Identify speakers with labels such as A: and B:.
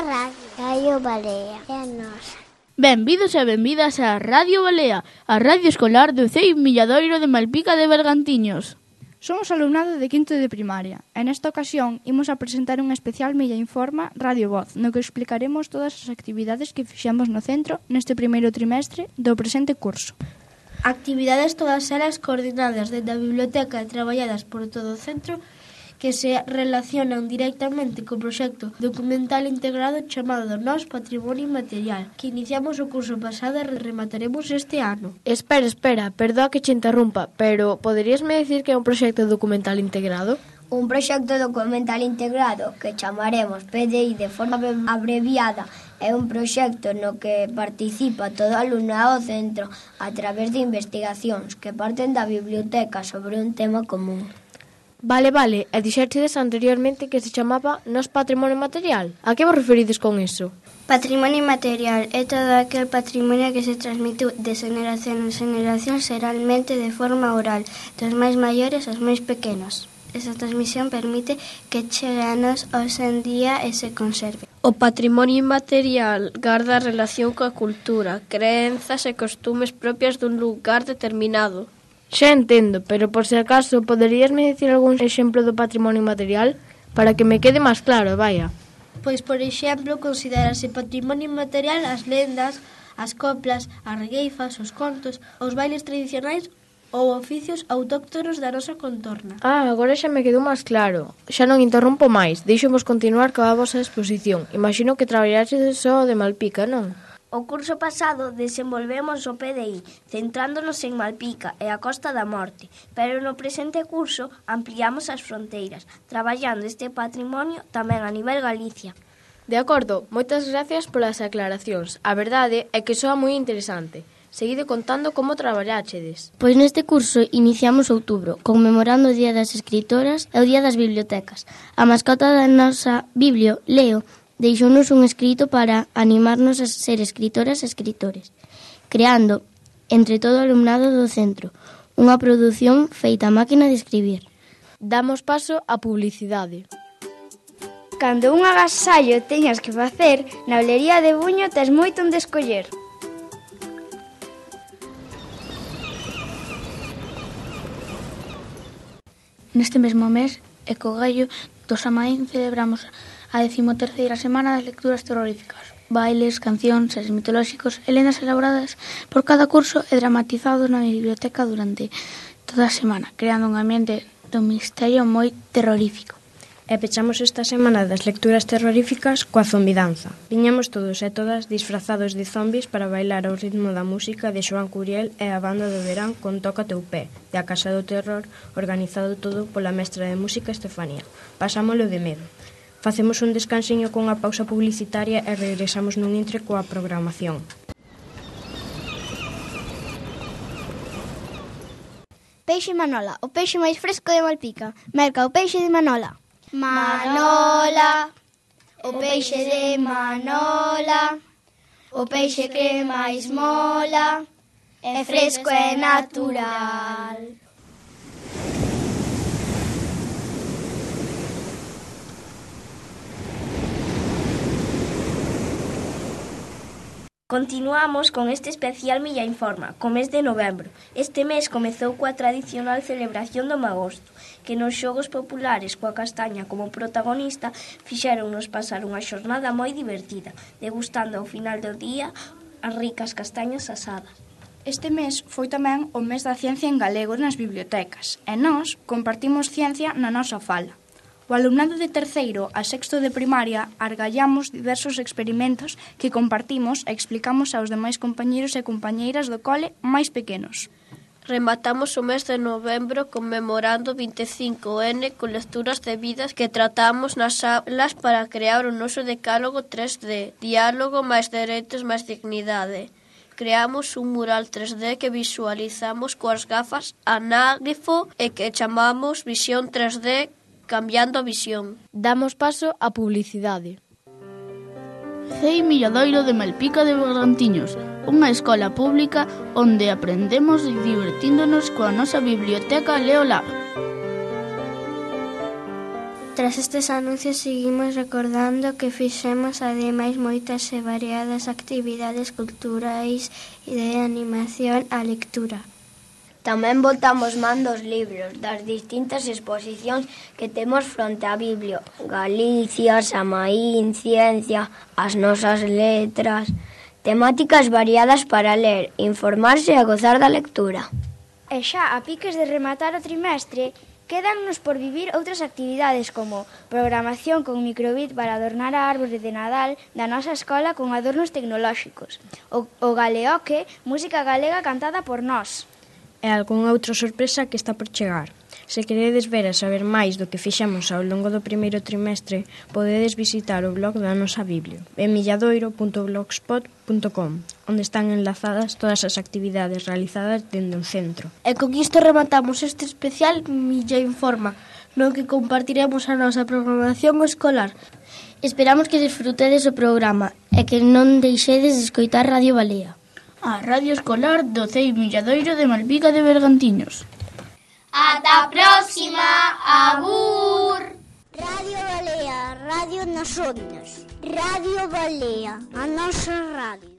A: Radio Balea, é a nosa.
B: Benvidos e benvidas a Radio Balea, a radio escolar do CEI Milladoiro de Malpica de Bergantiños.
C: Somos alumnado de quinto de primaria e nesta ocasión imos a presentar un especial Milla Informa Radio Voz, no que explicaremos todas as actividades que fixemos no centro neste primeiro trimestre do presente curso.
D: Actividades todas elas coordinadas dentro da biblioteca e traballadas por todo o centro que se relacionan directamente co proxecto documental integrado chamado Nós Patrimonio Inmaterial, que iniciamos o curso pasado e remataremos este ano.
E: Espera, perdoa que che interrumpa, pero poderíasme decir que é un proxecto documental integrado?
F: Un proxecto documental integrado que chamaremos PDI de forma abreviada é un proxecto no que participa todo alumnado do centro a través de investigacións que parten da biblioteca sobre un tema común.
E: Vale, e dixertedes anteriormente que se chamaba Nós Patrimonio Material. A que vos referides con iso?
D: Patrimonio inmaterial é todo aquel patrimonio que se transmite de xeneración en xeneración xeralmente de forma oral, dos máis maiores aos máis pequenos. Esa transmisión permite que chegue a nós hoxe en día e se conserve.
E: O patrimonio inmaterial garda a relación coa cultura, crenzas e costumes propias dun lugar determinado. Xa entendo, pero por se acaso poderíasme dicir algún exemplo do patrimonio inmaterial para que me quede máis claro, vaya.
D: Pois, por exemplo, considerarse patrimonio inmaterial as lendas, as coplas, as regueifas, os contos, os bailes tradicionais ou oficios autóctonos da nosa contorna.
E: Agora xa me quedou máis claro. Xa non interrompo máis, deixomos continuar coa vosa exposición. Imagino que traballaxedes só de Malpica, non?
G: O curso pasado desenvolvemos o PDI, centrándonos en Malpica e a Costa da Morte, pero no presente curso ampliamos as fronteiras, traballando este patrimonio tamén a nivel Galicia.
E: De acordo, moitas gracias polas aclaracións. A verdade é que soa moi interesante. Seguide contando como traballáchedes.
H: Pois neste curso iniciamos outubro, conmemorando o Día das Escritoras e o Día das Bibliotecas. A mascota da nosa Biblio, Leo, deixounos un escrito para animarnos a ser escritoras e escritores, creando, entre todo o alumnado do centro, unha produción feita a máquina de escribir.
E: Damos paso á publicidade.
I: Cando un agasallo teñas que facer, na olería de Buño tes moito onde escoller.
C: Neste mesmo mes, e co gallo do Samaín, celebramos a 13ª semana das lecturas terroríficas. Bailes, cancións, seres mitolóxicos e lendas elaboradas por cada curso e dramatizados na biblioteca durante toda a semana, creando un ambiente do misterio moi terrorífico.
J: E pechamos esta semana das lecturas terroríficas coa zombidanza. Viñamos todos e todas disfrazados de zombis para bailar ao ritmo da música de Xoán Curiel e a banda do verán con Toca teu pé, de A Casa do Terror, organizado todo pola mestra de música Estefanía. Pasámolo de medo. Facemos un descansiño con a pausa publicitaria e regresamos nun intre coa programación.
I: Peixe Manola, o peixe máis fresco de Malpica. Merca o peixe de Manola.
F: Manola, o peixe de Manola, o peixe que máis mola, é fresco e natural.
G: Continuamos con este especial Milla Informa, co mes de novembro. Este mes comezou coa tradicional celebración do Magosto, que nos xogos populares coa castaña como protagonista fixéronnos pasar unha xornada moi divertida, degustando ao final do día as ricas castañas asadas.
C: Este mes foi tamén o mes da ciencia en galego nas bibliotecas e nós compartimos ciencia na nosa fala. O alumnado de terceiro a sexto de primaria argallamos diversos experimentos que compartimos e explicamos aos demais compañeros e compañeiras do cole máis pequenos.
E: Rematamos o mes de novembro conmemorando 25N con lecturas debidas que tratamos nas aulas para crear o noso decálogo 3D, diálogo máis dereitos máis dignidade. Creamos un mural 3D que visualizamos coas gafas anágrafo e que chamamos Visión 3D cambiando a visión. Damos paso á publicidade.
B: CEI Milladoiro de Malpica de Bergantiños, unha escola pública onde aprendemos divertíndonos coa nosa biblioteca Leolab.
A: Tras estes anuncios seguimos recordando que fixemos ademais moitas e variadas actividades culturais e de animación á lectura.
F: Tamén botamos man dos libros das distintas exposicións que temos fronte á Biblia. Galicia, Samaín, Ciencia, as nosas letras... Temáticas variadas para ler, informarse e gozar da lectura.
I: E xa a piques de rematar o trimestre, quédannos por vivir outras actividades como programación con microbit para adornar a árbore de Nadal da nosa escola con adornos tecnolóxicos, o Galeoque, música galega cantada por nós.
J: E algunha outra sorpresa que está por chegar. Se queredes ver e saber máis do que fixemos ao longo do primeiro trimestre, podedes visitar o blog da nosa Biblia, en milladoiro.blogspot.com, onde están enlazadas todas as actividades realizadas dende o centro.
D: E con isto rematamos este especial Milla Informa, no que compartiremos a nosa programación escolar.
H: Esperamos que desfrutedes o programa e que non deixedes de escoitar Radio Balea.
B: A Radio Escolar do CEI Milladoiro de Malpica de Bergantiños.
K: Ata a próxima, abur!
A: Radio Balea, radio nas ondas. Radio Balea, a nosa radio.